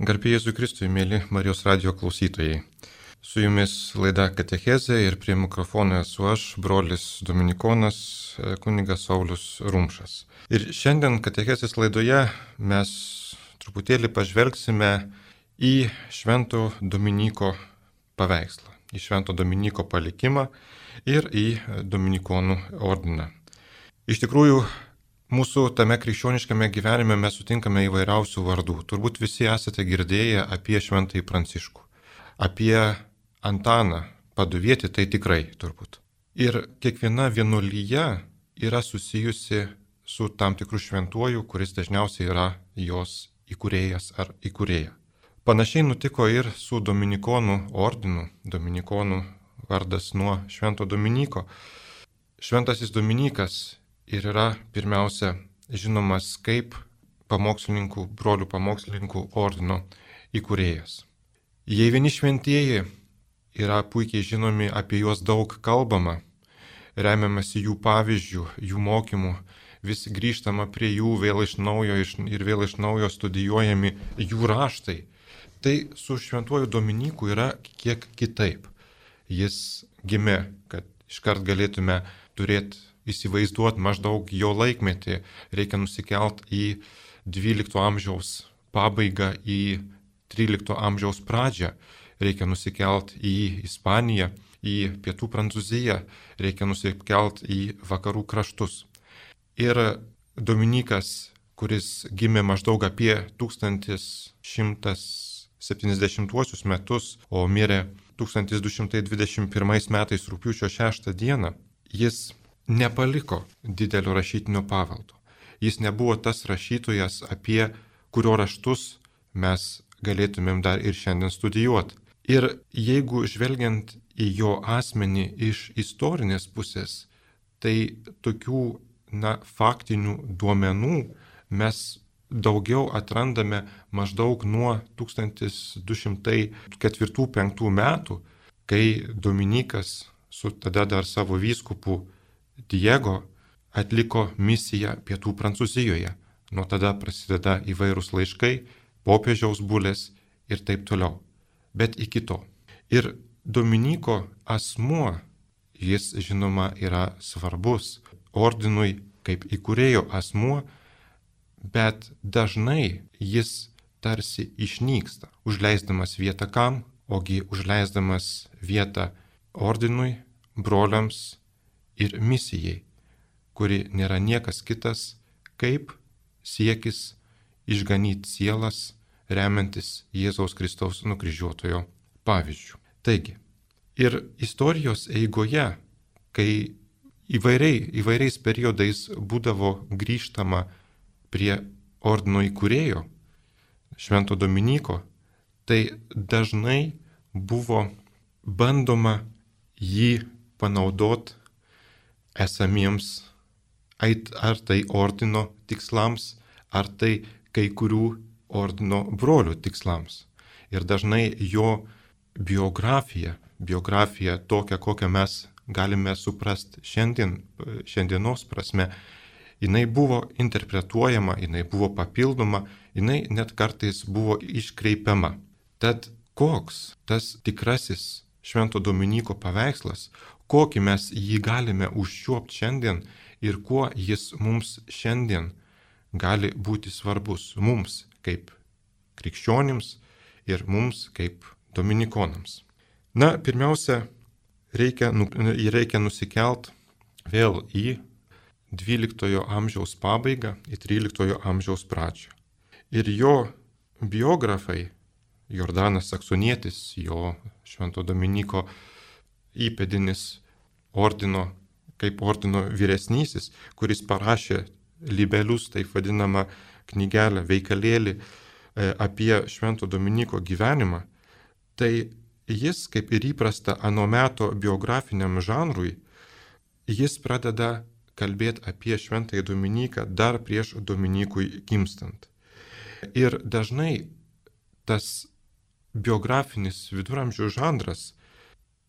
Garbė Jėzui Kristui, mėly Marijos radijo klausytojai. Su jumis laida Katechezė ir prie mikrofono esu aš, brolis Dominikonas, kunigas Saulius Rumšas. Ir šiandien Katechezės laidoje mes truputėlį pažvelgsime į Švento Dominyko paveikslą, į Švento Dominyko palikimą ir į Dominikonų ordiną. Iš tikrųjų, mūsų tame krikščioniškame gyvenime mes sutinkame įvairiausių vardų. Turbūt visi esate girdėję apie Šventąjį Pranciškų, apie Antaną Paduvietį, tai tikrai turbūt. Ir kiekviena vienuolyja yra susijusi su tam tikru šventuoju, kuris dažniausiai yra jos įkūrėjas ar įkūrėja. Panašiai nutiko ir su Dominikonų ordinu. Dominikonų vardas nuo Švento Dominyko. Šventasis Dominykas ir yra pirmiausia žinomas kaip brolių pamokslininkų ordino įkūrėjas. Jei vieni šventieji yra puikiai žinomi, apie juos daug kalbama, remiamasi jų pavyzdžių, jų mokymų, vis grįžtama prie jų vėl iš naujo studijuojami jų raštai, tai su Šventuoju Dominyku yra kiek kitaip. Jis gimė, kad iškart galėtume įsivaizduoti maždaug jo laikmetį, reikia nusikelt į 12 amžiaus pabaigą, į 13 amžiaus pradžią, reikia nusikelt į Ispaniją, į pietų Prancūziją, reikia nusikelt į vakarų kraštus. Ir Dominykas, kuris gimė maždaug apie 1170 metus, o mirė 1221 metais rugpjūčio 6 dieną, jis nepaliko didelio rašytinio paveldo. Jis nebuvo tas rašytojas, apie kurio raštus mes galėtumėm dar ir šiandien studijuoti. Ir jeigu žvelgiant į jo asmenį iš istorinės pusės, tai tokių faktinių duomenų mes daugiau atrandame maždaug nuo 1204-5 metų, kai Dominykas su tada dar savo vyskupu Diego atliko misiją pietų Prancūzijoje. Nuo tada prasideda įvairūs laiškai, popiežiaus bulės ir taip toliau. Bet iki to. Ir Dominyko asmuo, jis žinoma yra svarbus ordinui kaip įkūrėjo asmuo, bet dažnai jis tarsi išnyksta, užleisdamas vietą kam, ogi užleisdamas vietą ordinui, broliams ir misijai, kuri nėra niekas kitas, kaip siekis išganyti sielas, remiantis Jėzaus Kristaus nukryžiuotojo pavyzdžių. Taigi, ir istorijos eigoje, kai įvairiais periodais būdavo grįžtama prie ordino įkūrėjo, Švento Dominyko, tai dažnai buvo bandoma jį panaudoti esamiems ar tai ordino tikslams, ar tai kai kurių ordino brolių tikslams. Ir dažnai jo biografija tokia, kokią mes galime suprasti šiandienos prasme, jinai buvo interpretuojama, jinai buvo papildoma, jinai net kartais buvo iškreipiama. Tad koks tas tikrasis Švento Dominyko paveikslas, kokį mes jį galime užčiuopti šiandien ir kuo jis mums šiandien gali būti svarbus, mums kaip krikščionims ir mums kaip dominikonams. Pirmiausia, reikia nusikelt vėl į 12 amžiaus pabaigą, į 13 amžiaus pradžią. Ir jo biografai, Jordanas Saksonietis, jo Švento Dominyko įpėdinis kaip ordino vyresnysis, kuris parašė libelius, taip vadinamą knygelę, veikalėlį apie Švento Dominyko gyvenimą, tai jis, kaip ir įprasta ano meto biografiniam žanrui, jis pradeda kalbėti apie Šventąjį Dominiką dar prieš Dominykui gimstant. Ir dažnai tas biografinis viduramžių žanras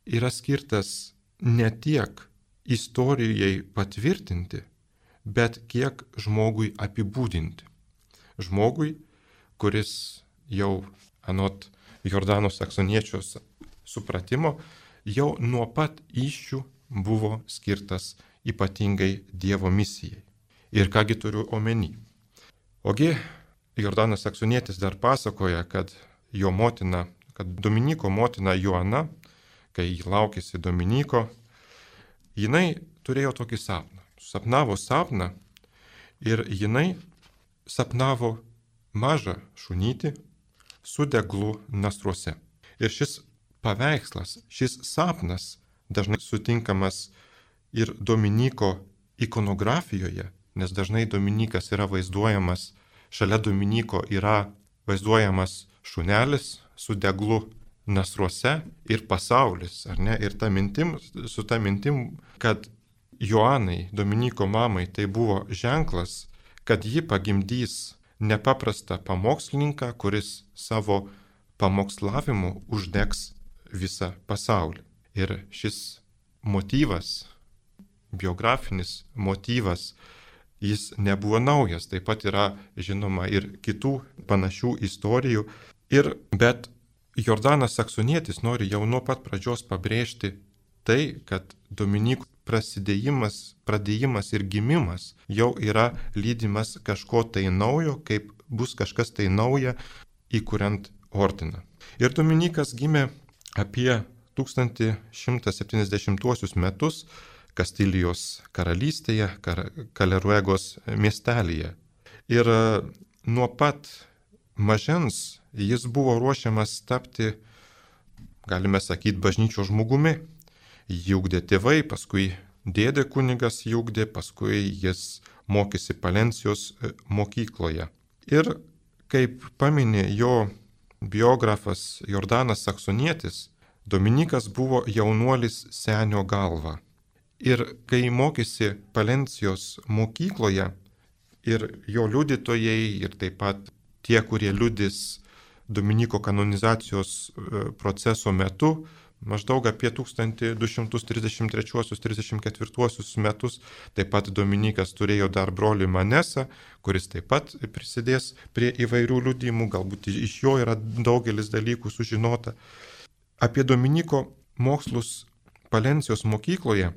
yra skirtas ne tiek istorijai patvirtinti, bet kiek žmogui apibūdinti. Žmogui, kuris jau anot Jordano saksoniečio supratimo, jau nuo pat įsčių buvo skirtas ypatingai Dievo misijai. Ir kągi turiu omeny. Ogi Jordanas saksonietis dar pasakoja, kad jo motina, kad Dominyko motina Joana, kai jį laukėsi Dominyko, jinai turėjo tokį sapną. Sapnavo sapną ir jinai sapnavo mažą šunytį su deglu nasruose. Ir šis paveikslas, šis sapnas dažnai sutinkamas ir Dominyko ikonografijoje, nes dažnai Dominikas yra vaizduojamas, šalia Dominyko yra vaizduojamas šunelis su deglu nasruose ir pasaulis, ar ne? Ir su ta mintim, kad Joanai, Dominyko mamai, tai buvo ženklas, kad ji pagimdys nepaprastą pamokslininką, kuris savo pamokslavimu uždegs visą pasaulį. Ir šis motyvas, biografinis motyvas, jis nebuvo naujas, taip pat yra žinoma ir kitų panašių istorijų. Bet Jordanas saksonietis nori jau nuo pat pradžios pabrėžti tai, kad Dominykų pradėjimas ir gimimas jau yra lydimas kažko tai naujo, kaip bus kažkas tai nauja įkuriant ordiną. Ir Dominikas gimė apie 1170 metus Kastilijos karalystėje, Kaleruegos miestelyje. Ir nuo pat mažens jis buvo ruošiamas tapti, galime sakyti, bažnyčios žmogumi. Jį ugdė tėvai, paskui dėdė kunigas jį ugdė, paskui jis mokėsi Palencijos mokykloje. Ir kaip paminė jo biografas Jordanas saksonietis, Dominikas buvo jaunuolis senio galva. Ir kai mokėsi Palencijos mokykloje, ir jo liudytojai, ir taip pat tie, kurie liudys Dominiko kanonizacijos proceso metu, maždaug apie 1233-34 metus, taip pat Dominikas turėjo dar brolį Manesą, kuris taip pat prisidės prie įvairių liudymų, galbūt iš jo yra daugelis dalykų sužinota. Apie Dominiko mokslus Palencijos mokykloje,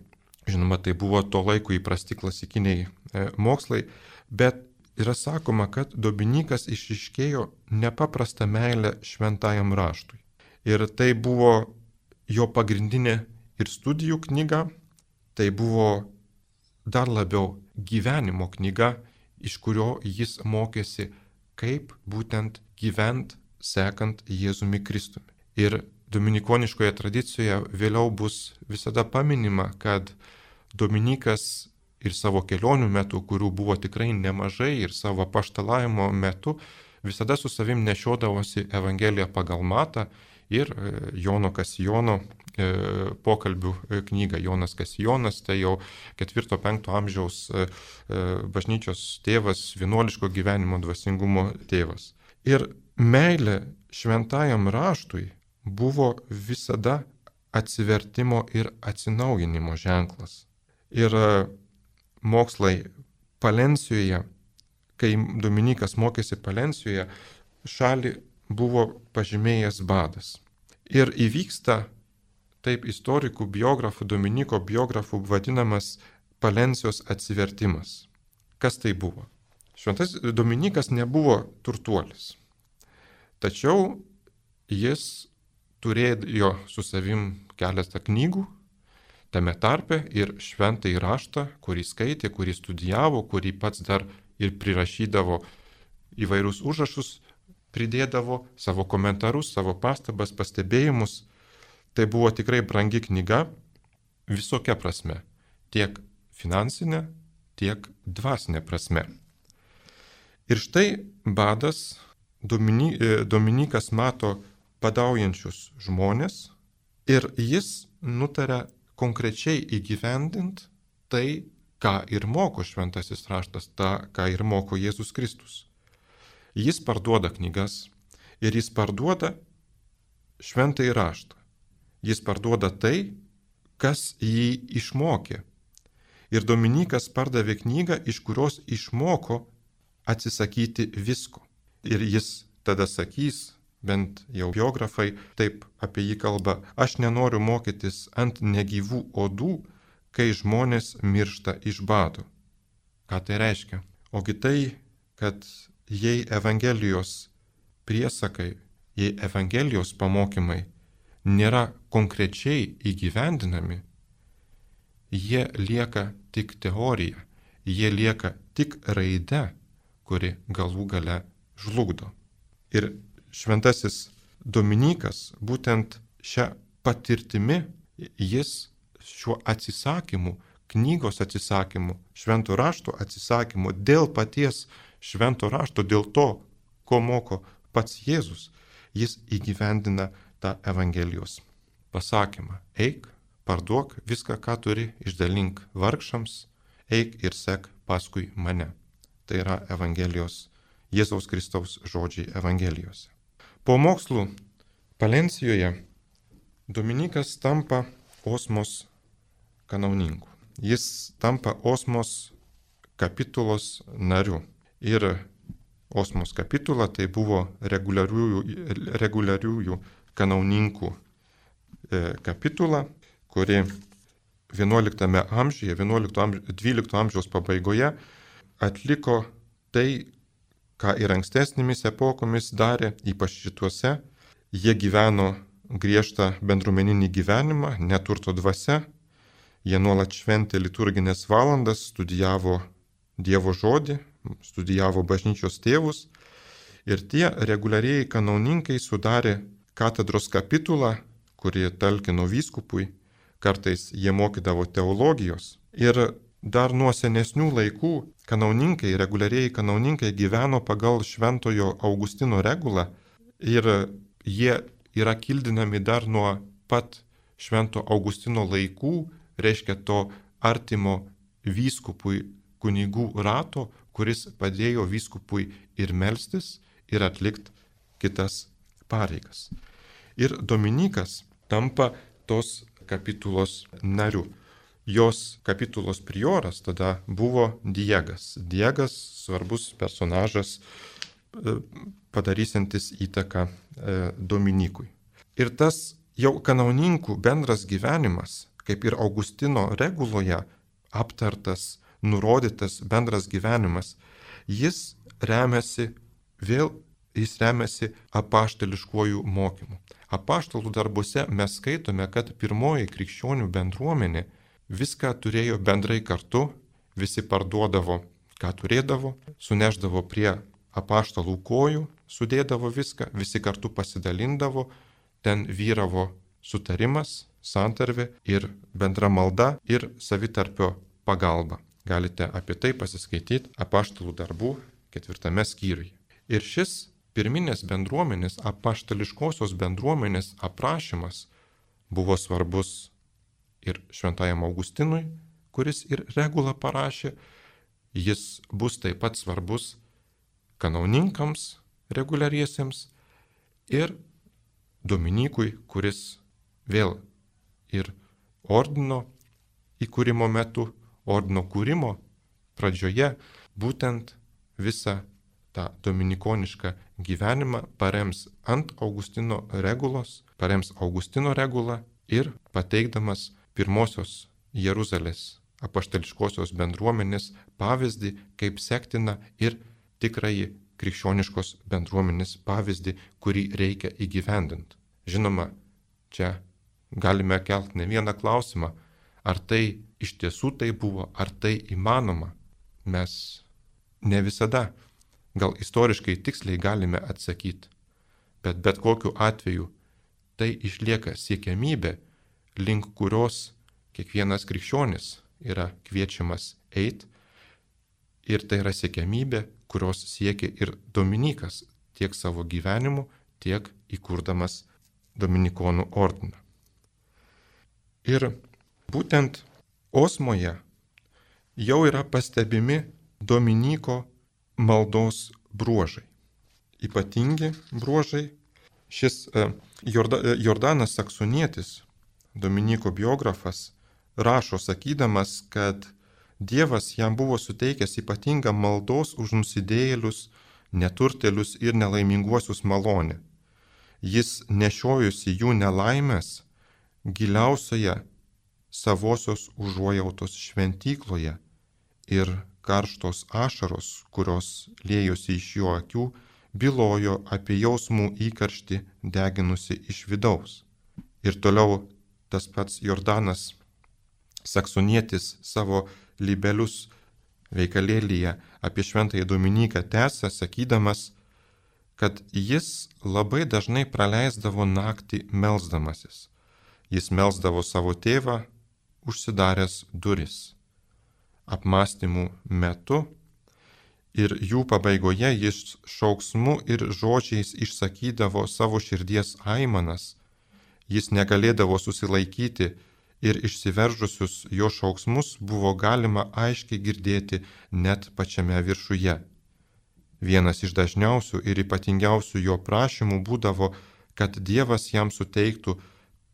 žinoma, tai buvo to laiko įprasti klasikiniai mokslai, bet yra sakoma, kad Dominikas išryškėjo nepaprastą meilę šventajam raštui. Ir tai buvo jo pagrindinė ir studijų knyga, tai buvo dar labiau gyvenimo knyga, iš kurio jis mokėsi, kaip būtent gyvent sekant Jėzumi Kristumi. Ir dominikoniškoje tradicijoje vėliau bus visada paminima, kad Dominikas ir savo kelionių metu, kurių buvo tikrai nemažai, ir savo apaštalavimo metu visada su savim nešiodavosi Evangeliją pagal Matą ir Jono Kasijono pokalbių knygą. Jonas Kasijonas tai jau 4-5 amžiaus bažnyčios tėvas, vienuoliško gyvenimo dvasingumo tėvas. Ir meilė šventajam raštui buvo visada atsivertimo ir atsinaujinimo ženklas. Ir mokslai Palencijoje, kai Dominikas mokėsi Palencijoje, šalį buvo pažymėjęs badas. Ir įvyksta taip istorikų, biografų, Dominiko biografų vadinamas Palencijos atsivertimas. Kas tai buvo? Šventas Dominikas nebuvo turtuolis. Tačiau jis turėjo su savim keletą knygų, tame tarpe ir šventąjį raštą, kurį skaitė, kurį studijavo, kurį pats dar ir prirašydavo įvairius užrašus, pridėdavo savo komentarus, savo pastabas, pastebėjimus. Tai buvo tikrai brangi knyga visokia prasme, tiek finansinė, tiek dvasinė prasme. Ir štai badas Dominikas mato badaujančius žmonės ir jis nutarė konkrečiai įgyvendint tai, ką ir moko šventasis raštas, tą, ką ir moko Jėzus Kristus. Jis parduoda knygas ir jis parduoda šventąjį raštą. Jis parduoda tai, kas jį išmokė. Ir Dominikas pardavė knygą, iš kurios išmoko atsisakyti visko. Ir jis tada sakys, bent jau biografai taip apie jį kalba, aš nenoriu mokytis ant negyvų odų, kai žmonės miršta iš bado. Ką tai reiškia? Ogi tai, kad jei Evangelijos priesakai, jei Evangelijos pamokymai nėra konkrečiai įgyvendinami, jie lieka tik teorija, jie lieka tik raide, kuri galų gale žlugdo. Ir šventasis Dominykas būtent šią patirtimi, jis šiuo atsisakymu, knygos atsisakymu, švento rašto atsisakymu, dėl paties švento rašto, dėl to, ko moko pats Jėzus, jis įgyvendina tą Evangelijos pasakymą. Eik, parduok viską, ką turi, išdalink vargšams, eik ir sek paskui mane. Tai yra Evangelijos, Jėzaus Kristaus žodžiai Evangelijose. Po mokslų Palencijoje Dominykas tampa Osmos kanauninku. Jis tampa Osmos kapitulos nariu. Ir Osmos kapitula tai buvo reguliariųjų kanauninkų kapitula, kuri 11 amžiuje, 12 amžiaus pabaigoje atliko tai, ką ir ankstesnėmis epokomis darė, ypač šituose. Jie gyveno griežtą bendruomeninį gyvenimą, neturto dvasia, jie nuolat šventė liturginės valandas, studijavo Dievo žodį, studijavo bažnyčios tėvus ir tie reguliarieji kanauninkai sudarė katedros kapitulą, kuri talkino vyskupui, kartais jie mokydavo teologijos. Ir dar nuo senesnių laikų kanauninkai, reguliarieji kanauninkai gyveno pagal šventojo Augustino regulą ir jie yra kildinami dar nuo pat švento Augustino laikų, reiškia to artimo vyskupui kunigų rato, kuris padėjo vyskupui ir melstis, ir atlikti kitas pareigas. Ir Dominykas tampa tos kapitulos nariu. Jos kapitulos prioras tada buvo Diegas. Diegas svarbus personažas, padarysiantis įtaką Dominykui. Ir tas jau kanauninkų bendras gyvenimas, kaip ir Augustino reguloje aptartas, nurodytas bendras gyvenimas, jis remiasi apaštališkuoju mokymu. Apaštalų darbuose mes skaitome, kad pirmoji krikščionių bendruomenė viską turėjo bendrai kartu, visi parduodavo, ką turėdavo, suneždavo prie apaštalų kojų, sudėdavo viską, visi kartu pasidalindavo, ten vyravo sutarimas, santarvė ir bendra malda ir savitarpio pagalba. Galite apie tai pasiskaityti apaštalų darbų 4 skyriuje. Ir šis pirminės bendruomenės, apaštališkosios bendruomenės aprašymas buvo svarbus ir šventajam Augustinui, kuris ir regulą parašė. Jis bus taip pat svarbus kanauninkams reguliariesiems ir Dominykui, kuris vėl ir ordino įkūrimo metu, ordino kūrimo pradžioje būtent visą tą dominikonišką gyvenimą parems ant Augustino regulos, parems Augustino regulą ir pateikdamas pirmosios Jeruzalės apaštališkosios bendruomenės pavyzdį, kaip sektina ir tikrai krikščioniškos bendruomenės pavyzdį, kurį reikia įgyvendinti. Žinoma, čia galime kelti ne vieną klausimą, ar tai iš tiesų tai buvo, ar tai įmanoma. Mes ne visada, gal istoriškai tiksliai galime atsakyti, bet kokiu atveju tai išlieka siekiamybė, link kurios kiekvienas krikščionis yra kviečiamas eiti, ir tai yra siekiamybė, kurios siekia ir Dominykas tiek savo gyvenimu, tiek įkurdamas Dominikonų ordiną. Ir būtent Osmoje jau yra pastebimi Dominyko maldos bruožai. Ypatingi bruožai. Šis Jordanas Saksonietis, Dominyko biografas, rašo sakydamas, kad Dievas jam buvo suteikęs ypatingą maldos už nusidėjėlius neturtėlius ir nelaiminguosius malonę. Jis nešiojusi jų nelaimės giliausioje savosios užuojautos šventykloje ir karštos ašaros, kurios liejosi iš jo akių, bylojo apie jausmų įkarštį deginusi iš vidaus. Ir toliau tas pats Jordanas Saksonietis savo libelius veikalėlyje apie šventąjį Dominiką tęsia, sakydamas, kad jis labai dažnai praleisdavo naktį melsdamasis. Jis melsdavo savo tėvą, užsidaręs duris. Apmąstymų metu ir jų pabaigoje jis šauksmu ir žodžiais išsakydavo savo širdies aimanas. Jis negalėdavo susilaikyti ir išsiveržusius jo šauksmus buvo galima aiškiai girdėti net pačiame viršuje. Vienas iš dažniausių ir ypatingiausių jo prašymų būdavo, kad Dievas jam suteiktų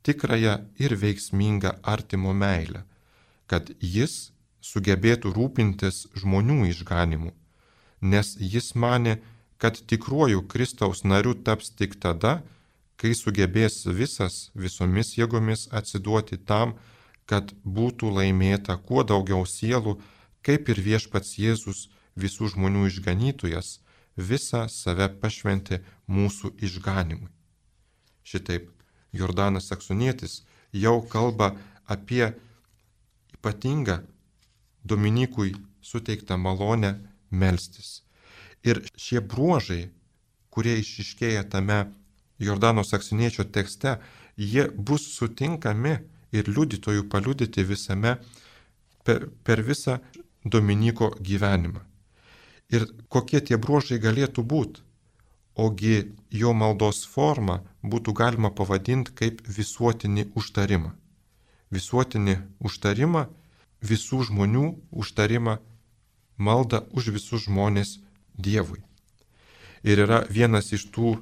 tikrąją ir veiksmingą artimo meilę, kad jis sugebėtų rūpintis žmonių išganimu, nes jis manė, kad tikruoju Kristaus nariu taps tik tada, kai sugebės visomis jėgomis atsiduoti tam, kad būtų laimėta kuo daugiau sielų, kaip ir viešpats Jėzus, visų žmonių išganytojas, visą save pašventė mūsų išganimui. Šitaip Jordanas Saksonietis jau kalba apie ypatingą Dominykui suteiktą malonę melstis. Ir šie bruožai, kurie išryškėja tame Jordano Saksoniečio tekste, jie bus sutinkami ir liudytojų paliudyti visame per visą Dominyko gyvenimą. Ir kokie tie bruožai galėtų būti? Ogi jo maldos formą būtų galima pavadinti kaip visuotinį užtarimą. Visuotinį užtarimą, visų žmonių užtarimą, maldą už visus žmonės Dievui. Ir yra vienas iš tų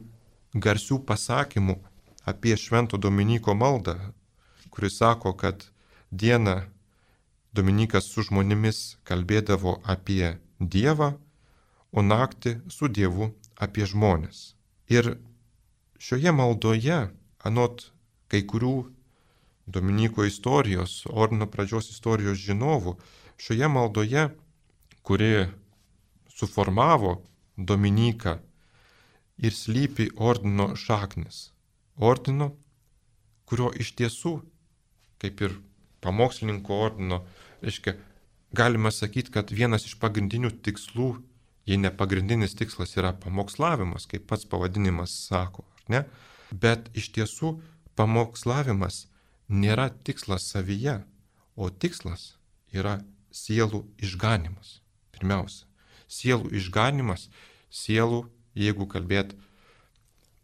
garsių pasakymų apie Švento Dominyko maldą, kuris sako, kad dieną Dominikas su žmonėmis kalbėdavo apie Dievą, o naktį su Dievu apie žmonės. Ir šioje maldoje, anot kai kurių Dominyko istorijos, ordino pradžios istorijos žinovų, šioje maldoje, kuri suformavo Dominiką, ir slypi ordino šaknis. Ordino, kurio iš tiesų, kaip ir pamokslininko ordino, reiškia, galima sakyti, kad vienas iš pagrindinių tikslų, jei ne pagrindinis tikslas, yra pamokslavimas, kaip pats pavadinimas sako, ar ne? Bet iš tiesų pamokslavimas nėra tikslas savyje, o tikslas yra sielų išganimas. Pirmiausia, sielų išganimas, sielų, jeigu kalbėt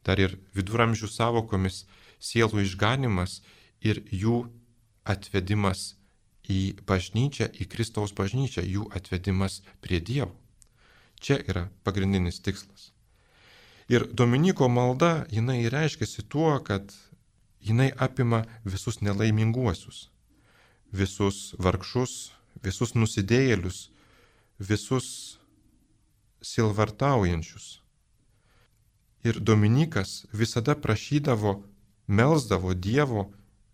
dar ir viduramžių savokomis, sielų išganimas ir jų atvedimas į bažnyčią, į Kristaus bažnyčią, jų atvedimas prie Dievo. Čia yra pagrindinis tikslas. Ir Dominyko malda, jinai reiškiasi tuo, kad jinai apima visus nelaiminguosius, visus vargšus, visus nusidėjėlius, visus sielvartaujančius. Ir Dominikas visada prašydavo, melsdavo Dievo,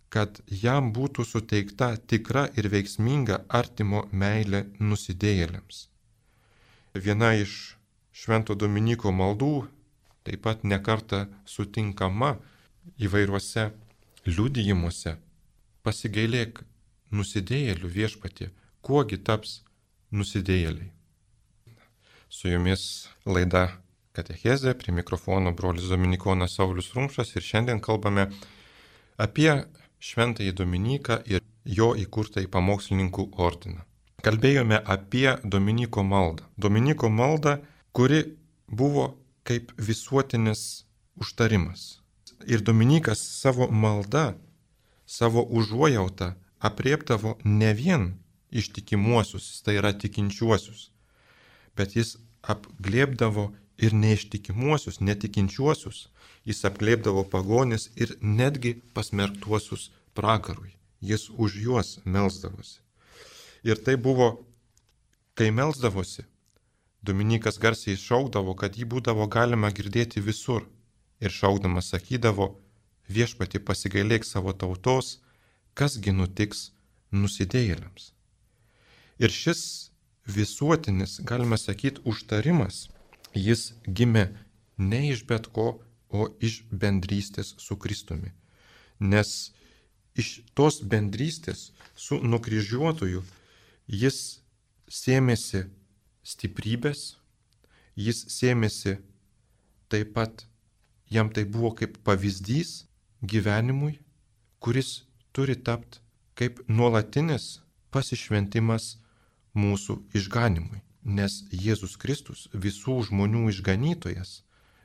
kad jam būtų suteikta tikra ir veiksminga artimo meilė nusidėjėliams. Viena iš Švento Dominyko maldų, taip pat nekarta sutinkama įvairiuose liudijimuose, pasigailėk nusidėjėlių viešpatie, kuogi taps nusidėjėliai. Su jumis laida Katechezė, prie mikrofono brolis Dominikonas Saulius Rumšas ir šiandien kalbame apie Šventąjį Dominiką ir jo įkurtąjį pamokslininkų ordiną. Kalbėjome apie Dominyko maldą. Dominyko maldą, kuri buvo kaip visuotinis užtarimas. Ir Dominikas savo maldą, savo užuojautą apriepdavo ne vien ištikimuosius, tai yra tikinčiuosius, bet jis apglėbdavo ir neištikimuosius, netikinčiuosius, jis apglėbdavo pagonis ir netgi pasmerktuosius pragarui. Jis už juos melsdavosi. Ir tai buvo, kai melsdavosi, Dominykas garsiai šaukdavo, kad jį būdavo galima girdėti visur. Ir šaukdamas sakydavo, viešpati pasigailėk savo tautos, kasgi nutiks nusidėjėliams. Ir šis visuotinis, galima sakyti, užtarimas, jis gimė ne iš bet ko, o iš bendrystės su Kristumi. Nes iš tos bendrystės su nukryžiuotoju jis sėmėsi stiprybės, jis sėmėsi taip pat, jam tai buvo kaip pavyzdys gyvenimui, kuris turi tapti kaip nuolatinis pasišventimas mūsų išganimui. Nes Jėzus Kristus, visų žmonių išganytojas,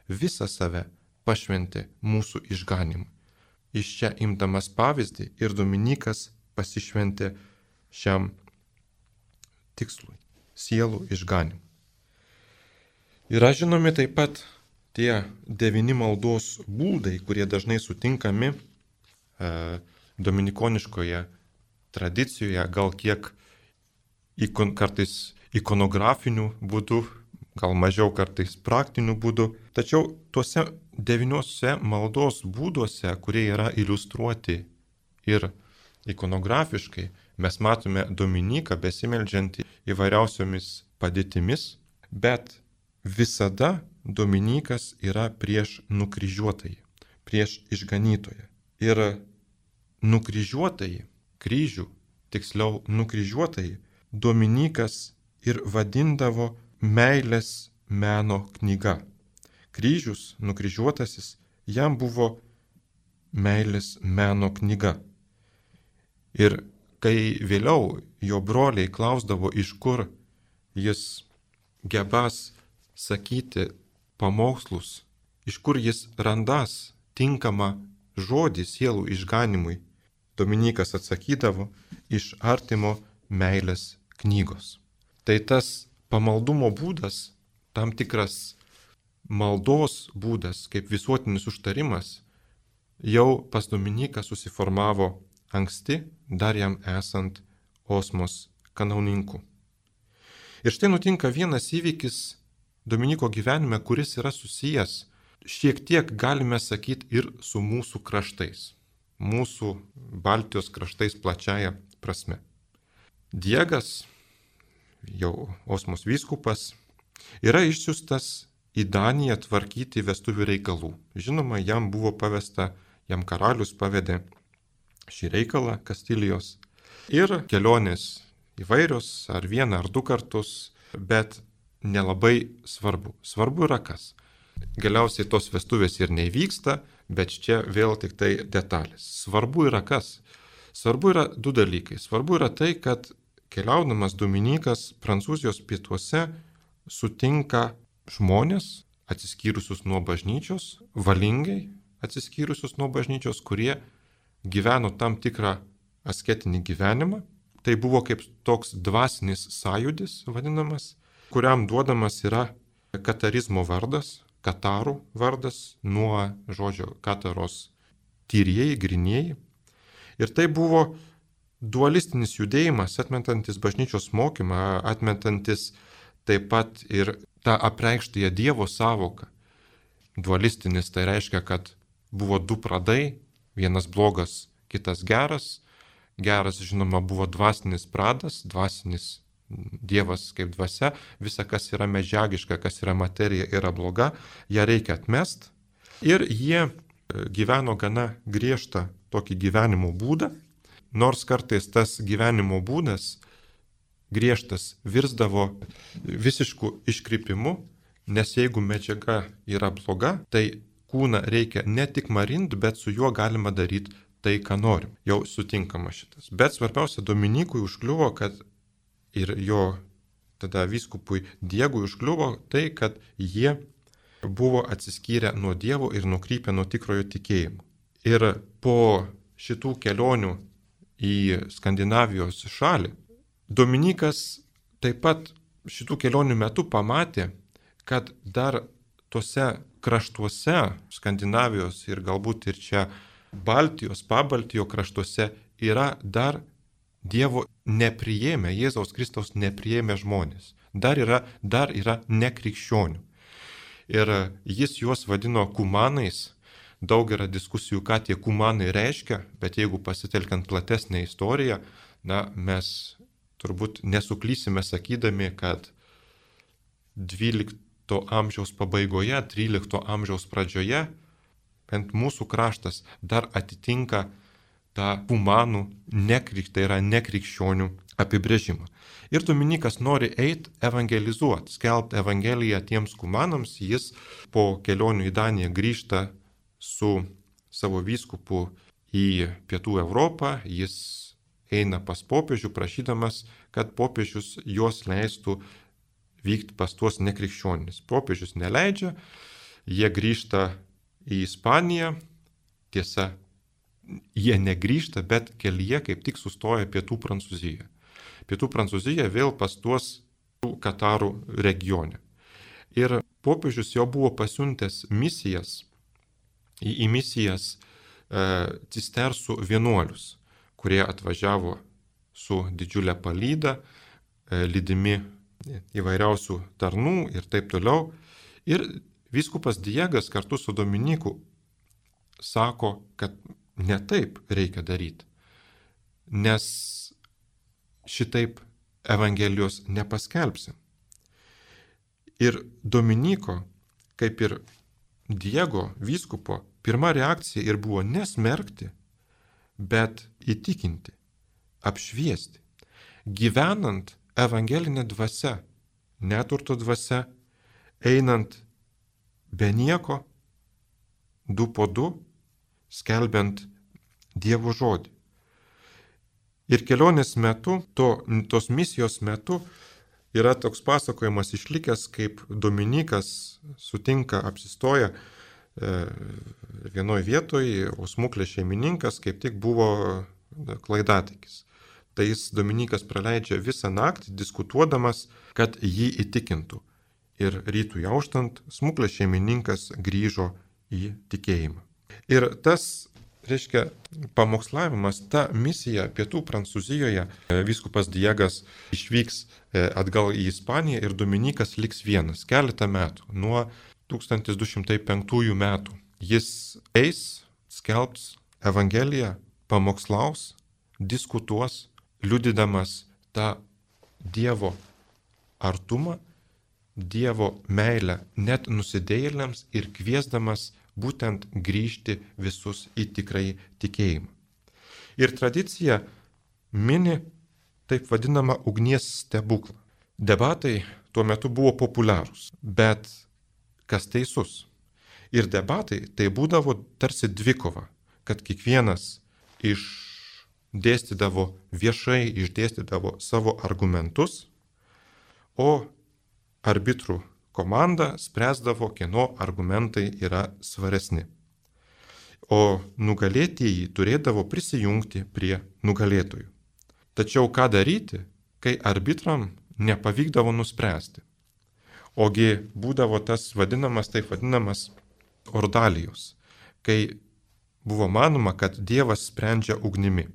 visą save pašventė mūsų išganimui. Iš čia imdamas pavyzdį ir Dominykas pasišventė šiam tikslui - sielų išganimui. Yra žinomi taip pat tie 9 maldos būdai, kurie dažnai sutinkami dominikoniškoje tradicijoje, gal kiek kartais ikonografiniu būdu, gal mažiau kartais praktiniu būdu. Tačiau tuose 9 maldos būduose, kurie yra iliustruoti ir ikonografiškai, mes matome Dominiką besimeldžiantį įvairiausiomis padėtimis, bet visada Dominikas yra prieš nukryžiuotąjį, prieš išganytoją. Ir nukryžiuotąjį, kryžių, tiksliau nukryžiuotąjį, Dominikas ir vadindavo meilės meno knyga. Kryžius, nukryžiuotasis, jam buvo meilės meno knyga. Ir kai vėliau jo broliai klausdavo, iš kur jis gebas sakyti pamokslus, iš kur jis randas tinkamą žodį sielų išganimui, Dominikas atsakydavo, iš artimo meilės knygos. Tai tas pamaldumo būdas, tam tikras maldos būdas, kaip visuotinis užtarimas, jau pas Dominiką susiformavo anksti, dar jam esant Osmos kanauninku. Ir štai nutinka vienas įvykis Dominiko gyvenime, kuris yra susijęs, šiek tiek galime sakyti, ir su mūsų kraštais, mūsų Baltijos kraštais plačiaja prasme. Diegas, jau Osmos vyskupas, yra išsiųstas į Daniją tvarkyti vestuvių reikalų. Žinoma, jam buvo pavesta, jam karalius pavedė šį reikalą Kastilijos. Ir kelionės įvairios, ar 1 ar 2 kartus, bet nelabai svarbu. Svarbu yra kas. Galiausiai tos vestuvės ir neįvyksta, bet čia vėl tik tai detalės. Svarbu yra kas. Svarbu yra 2 dalykai. Svarbu yra tai, kad keliaudamas Dominikas Prancūzijos pietuose sutinka žmonės atsiskyrusius nuo bažnyčios, valingai atsiskyrusius nuo bažnyčios, kurie gyveno tam tikrą asketinį gyvenimą. Tai buvo kaip toks dvasinis sąjūdis vadinamas, kuriam duodamas yra katarizmo vardas, katarų vardas, nuo žodžio kataros tyrieji, grynieji. Ir tai buvo dualistinis judėjimas, atmetantis bažnyčios mokymą, atmetantis taip pat ir tą apreikštąją Dievo sąvoką. Dualistinis tai reiškia, kad buvo 2 pradai, vienas blogas, kitas geras. Geras, žinoma, buvo dvasinis pradas, dvasinis Dievas kaip dvasia, visa, kas yra medžiagiška, kas yra materija, yra bloga, ją reikia atmest. Ir jie gyveno gana griežtą tokį gyvenimo būdą, nors kartais tas gyvenimo būdas griežtas virsdavo visišku iškrypimu, nes jeigu medžiaga yra bloga, tai kūną reikia ne tik marint, bet su juo galima daryti tai, ką norim. Jau sutinkama šitas. Bet svarbiausia, Dominikui užkliuvo, kad ir jo tada vyskupui Diegui užkliuvo tai, kad jie buvo atsiskyrę nuo Dievo ir nukrypę nuo tikrojo tikėjimo. Ir po šitų kelionių į Skandinavijos šalį, Dominikas taip pat šitų kelionių metu pamatė, kad dar tuose kraštuose, Skandinavijos ir galbūt ir čia Baltijos, Pabaltijo kraštuose yra dar Dievo nepriėmę, Jėzaus Kristaus nepriėmę žmonės. dar yra nekrikščionių. Ir jis juos vadino kumanais. Daug yra diskusijų, ką tie kumanai reiškia, bet jeigu pasitelkiant platesnę istoriją, mes turbūt nesuklysime sakydami, kad 12 amžiaus pabaigoje, 13 amžiaus pradžioje, bent mūsų kraštas dar atitinka tą kumanų tai yra nekrikščionių apibrėžimą. Ir Dominykas nori eiti evangelizuoti, skelbti evangeliją tiems kumanams. Jis po kelionių į Daniją grįžta su savo vyskupu į Pietų Europą. Jis eina pas popiežių, prašydamas, kad popiežius juos leistų vykti pas tuos nekrikščionis. Popiežius neleidžia, jie grįžta į Ispaniją. Tiesa, jie negrįžta, bet kelyje kaip tik sustoja Pietų Prancūzijoje. Pietų Prancūzija vėl pas tuos Katarų regione. Ir popiežius jau buvo pasiuntęs misijas, į misijas cistersų vienuolius, kurie atvažiavo su didžiulė palyda, lydimi įvairiausių tarnų ir taip toliau. Ir vyskupas Diegas kartu su Dominyku sako, kad ne taip reikia daryti, nes šitaip Evangelijos nepaskelbsim. Ir Dominyko, kaip ir Diego vyskupo, pirma reakcija ir buvo nesmerkti, bet įtikinti, apšviesti, gyvenant evangelinę dvasią, neturto dvasią, einant be nieko, 2 po 2, skelbiant Dievo žodį. Ir kelionės metu, tos misijos metu, yra toks pasakojimas išlikęs, kaip Dominykas apsistoja vienoje vietoje, o smuklės šeimininkas kaip tik buvo klaidatikis. Tai jis Dominykas praleidžia visą naktį diskutuodamas, kad jį įtikintų. Ir rytui auštant, smuklės šeimininkas grįžo į tikėjimą. Ir tas, reiškia, pamokslavimas, ta misija Pietų Prancūzijoje, vyskupas Diegas išvyks atgal į Ispaniją ir Dominykas liks vienas keletą metų, nuo 1205 metų. Jis eis, skelbs Evangeliją, pamokslaus, diskutuos, liudydamas tą Dievo artumą, Dievo meilę net nusidėjėliams ir kviesdamas būtent grįžti visus į tikrąjį tikėjimą. Ir tradicija mini taip vadinamą ugnies stebuklą. Debatai tuo metu buvo populiarūs, bet kas teisus? Ir debatai tai būdavo tarsi dvikova, kad kiekvienas viešai išdėstydavo savo argumentus, o arbitrų komanda spręsdavo, kieno argumentai yra svaresni. O nugalėtieji turėdavo prisijungti prie nugalėtojų. Tačiau ką daryti, kai arbitram nepavykdavo nuspręsti? Ogi būdavo tas taip vadinamas ordalijos, kai buvo manoma, kad Dievas sprendžia ugnimi.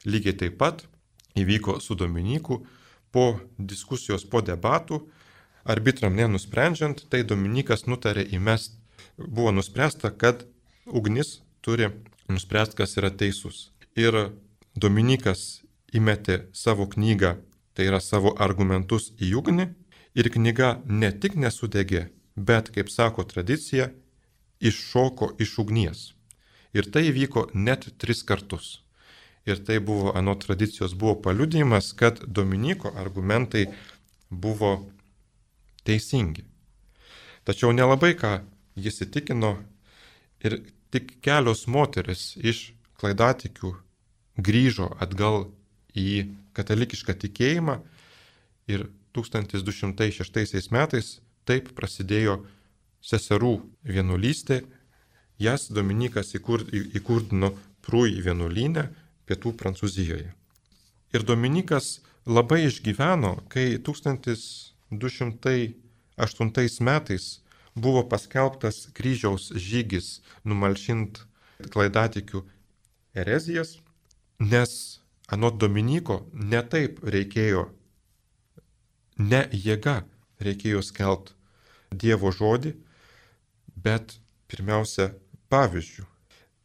Lygiai taip pat įvyko su Dominyku po diskusijos, po debatų. Arbitram nenusprendžiant, tai Dominykas nutarė įmesti, buvo nuspręsta, kad ugnis turi nuspręsti, kas yra teisus. Ir Dominykas įmetė savo knygą, tai yra savo argumentus į ugnį, ir knyga ne tik nesudegė, bet, kaip sako tradicija, iššoko iš ugnies. Ir tai vyko net 3 kartus. Ir tai buvo, anot tradicijos, buvo paliudijimas, kad Dominyko argumentai buvo teisingi. Tačiau nelabai ką jis įtikino ir tik kelios moteris iš klaidatikių grįžo atgal į katalikišką tikėjimą ir 1206 metais taip prasidėjo seserų vienuolystė. Jas Dominykas įkurdino Prui vienuolyne Pietų Prancūzijoje. Ir Dominykas labai išgyveno, kai 1208 metais buvo paskelbtas kryžiaus žygis numalšint klaidatikių erezijas, nes anot Dominyko netaip reikėjo ne jėga reikėjo skelbti Dievo žodį, bet pirmiausia pavyzdžių.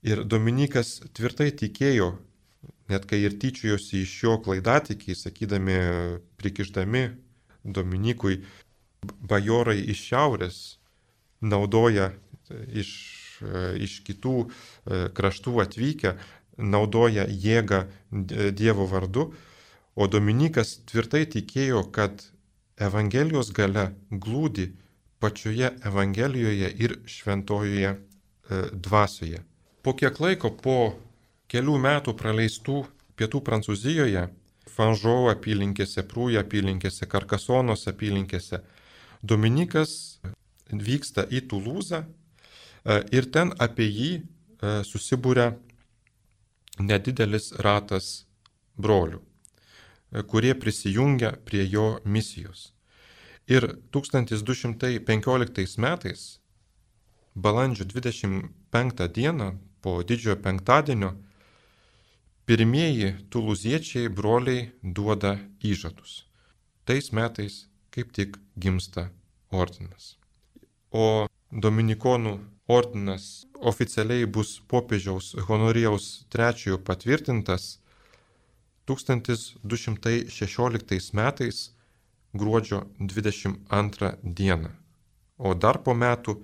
Ir Dominykas tvirtai tikėjo, net kai ir tyčiojosi iš jo klaidatikiai, sakydami, prikišdami Dominykui, bajorai iš šiaurės naudoja iš kitų kraštų atvykę, naudoja jėgą Dievo vardu, o Dominykas tvirtai tikėjo, kad Evangelijos galia glūdi pačioje Evangelijoje ir šventojoje dvasioje. Po kiek laiko, po kelių metų praleistų pietų Prancūzijoje, Fanžo apylinkėse, Prūj apylinkėse, Karkasonos apylinkėse, Dominykas vyksta į Tulūzą ir ten apie jį susibūrė nedidelis ratas brolių, kurie prisijungia prie jo misijos. Ir 1215 metais, balandžio 25 dieną, po didžiojo penktadienio, pirmieji tulūziečiai broliai duoda įžadus. Tais metais kaip tik gimsta ordinas. O Dominikonų ordinas oficialiai bus popiežiaus Honorijaus III patvirtintas 1216 metais gruodžio 22 dieną. O dar po metų,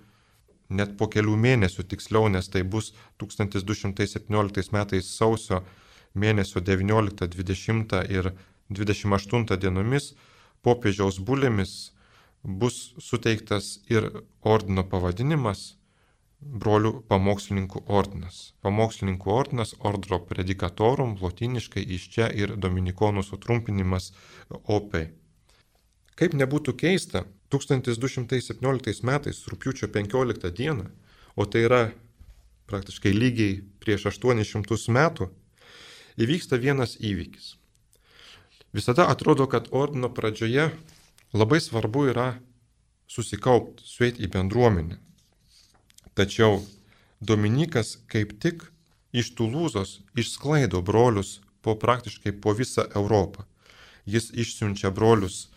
net po kelių mėnesių tiksliau, nes tai bus 1217 metais sausio mėnesio 19, 20 ir 28 dienomis popiežiaus bulėmis bus suteiktas ir ordino pavadinimas brolių pamokslininkų ordinas. Pamokslininkų ordinas Ordro Predicatorum, lotyniškai iš čia ir dominikonų sutrumpinimas OP. Kaip nebūtų keista, 1217 metais, rugpjūčio 15 dieną, o tai yra praktiškai lygiai prieš 800 metų, įvyksta vienas įvykis. Visada atrodo, kad ordino pradžioje labai svarbu yra susikaupti, sueiti į bendruomenę. Tačiau Dominykas kaip tik iš Tulūzos išsklaido brolius praktiškai po visą Europą. Jis išsiunčia brolius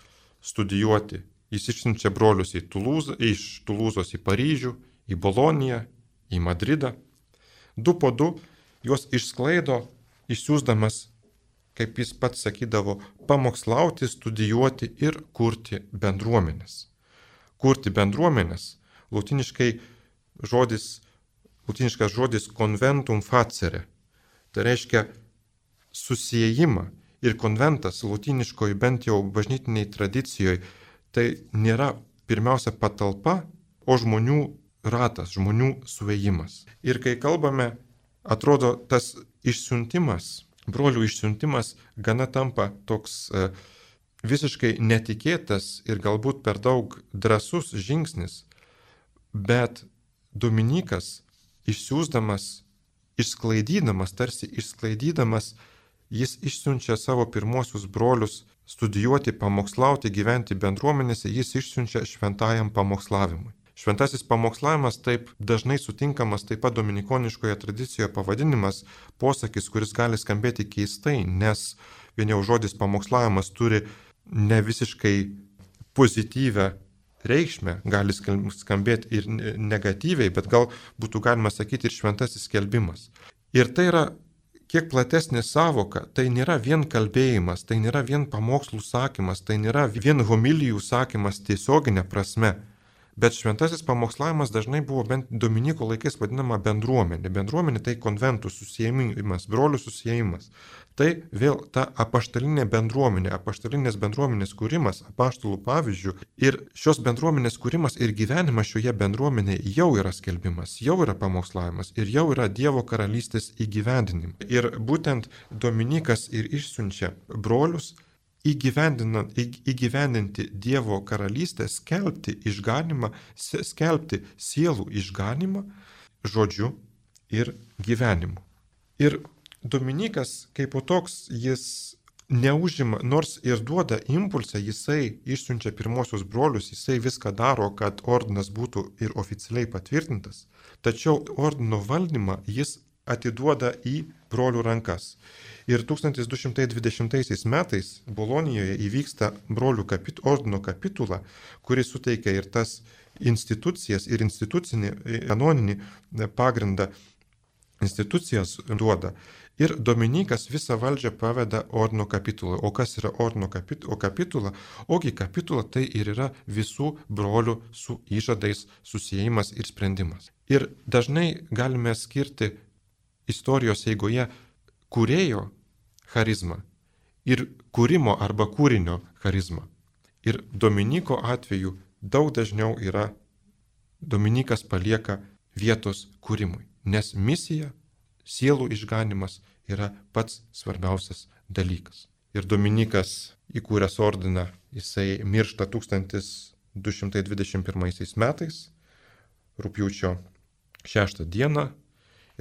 studijuoti. Jis išsiunčia brolius iš Tulūzos į Paryžių, į Boloniją, į Madridą. 2 po 2 juos išsklaido, išsiųsdamas, kaip jis pats sakydavo, pamokslauti, studijuoti ir kurti bendruomenės. Kurti bendruomenės, lotyniškas žodis conventum facere. Tai reiškia susiejimą. Ir konventas lotyniškoje, bent jau bažnytiniai tradicijoje, tai nėra pirmiausia patalpa, o žmonių ratas, žmonių suėjimas. Ir kai kalbame, atrodo, tas išsiuntimas, brolių išsiuntimas gana tampa toks visiškai netikėtas ir galbūt per daug drąsus žingsnis, bet Dominykas išsiųsdamas, tarsi išsklaidydamas, jis išsiunčia savo pirmosius brolius studijuoti, pamokslauti, gyventi bendruomenėse, jis išsiunčia šventajam pamokslavimui. Šventasis pamokslavimas taip dažnai sutinkamas taip pat dominikoniškoje tradicijoje pavadinimas, posakis, kuris gali skambėti keistai, nes vien jau žodis pamokslavimas turi ne visiškai pozityvę reikšmę, gali skambėti ir negatyviai, bet gal būtų galima sakyti ir šventasis skelbimas. Ir tai yra kiek platesnė savoka, tai nėra vien kalbėjimas, tai nėra vien pamokslų sakymas, tai nėra vien homilijų sakymas tiesioginė prasme, bet šventasis pamokslavimas dažnai buvo bent Dominyko laikais vadinama bendruomenė. Bendruomenė tai konventų susiėjimas, brolių susiėjimas. Tai vėl ta apaštalinė bendruomenė, apaštalinės bendruomenės kūrimas, apaštalų pavyzdžių ir šios bendruomenės kūrimas ir gyvenimas šioje bendruomenėje jau yra skelbimas, jau yra pamokslavimas ir jau yra Dievo karalystės įgyvendinimas. Ir būtent Dominykas ir išsiunčia brolius įgyvendinti Dievo karalystę, skelbti išganimą, skelbti sielų išganimą žodžiu ir gyvenimu. Ir Dominykas kaip toks, jis neužima, nors ir duoda impulsą, jisai išsiunčia pirmosius brolius, jisai viską daro, kad ordinas būtų ir oficialiai patvirtintas, tačiau ordino valdymą jis atiduoda į brolių rankas. Ir 1220 metais Bolonijoje įvyksta brolių ordino kapitula, kuris suteikia ir tas institucijas, ir institucinį, kanoninį pagrindą institucijas duoda. Ir Dominikas visą valdžią paveda ordino kapitulai. O kas yra ordino kapitula? Ogi kapitula tai ir yra visų brolių su įžadais susijimas ir sprendimas. Ir dažnai galime skirti istorijos eigoje kūrėjo charizmą ir kūrimo arba kūrinio charizmą. Ir Dominiko atveju daug dažniau yra Dominikas palieka vietos kūrimui, nes misija, sielų išganimas yra pats svarbiausias dalykas. Ir Dominikas įkūręs ordiną, jisai miršta 1221 metais, rugpjūčio 6 dieną,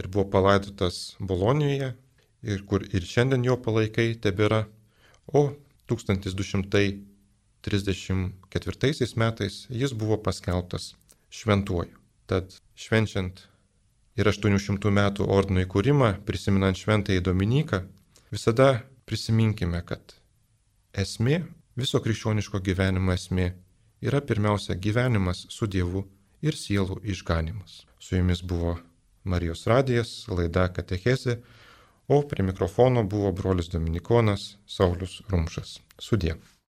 ir buvo palaidotas Bolonijoje, ir kur ir šiandien jo palaikai tebėra, o 1234 metais jis buvo paskelbtas šventuoju. Tad švenčiant ir 800 metų ordino įkūrimą, prisiminant šventąjį Dominiką, visada prisiminkime, kad esmė, viso krikščioniško gyvenimo esmė yra pirmiausia gyvenimas su Dievu ir sielų išganimas. Su jumis buvo Marijos radijas, laida Katechezė, o prie mikrofono buvo brolis Dominikonas Saulius Rumšas. Sudie.